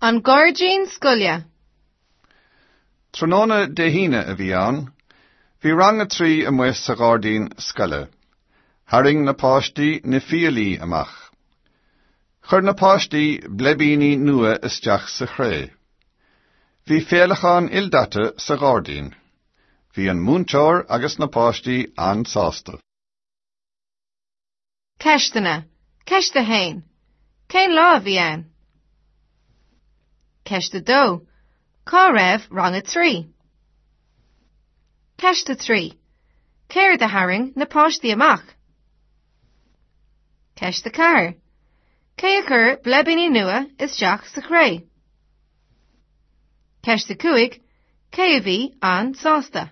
An Gairdín Scoile. Tráthnóna Dé hAoine a bhí ann. Bhí rang a 3 amuigh sa ghairdín scoile. Tharraing na páistí na fiailí amach. Chuir na páistí bleibíní nua isteach sa chré. Bhí féileacáin ildaite sa ghairdín. Bhí an múinteoir agus na páistí an-sásta. Ceisteanna. Ceist 1. Cén lá a bhí ann? Ceist 2. Cá raibh rang 3? Ceist 3. Céard a tharraing na páistí amach? Ceist 4. Cé a chuir bleibíní nua isteach sa chré? Ceist 5. Cé a bhí an-sásta?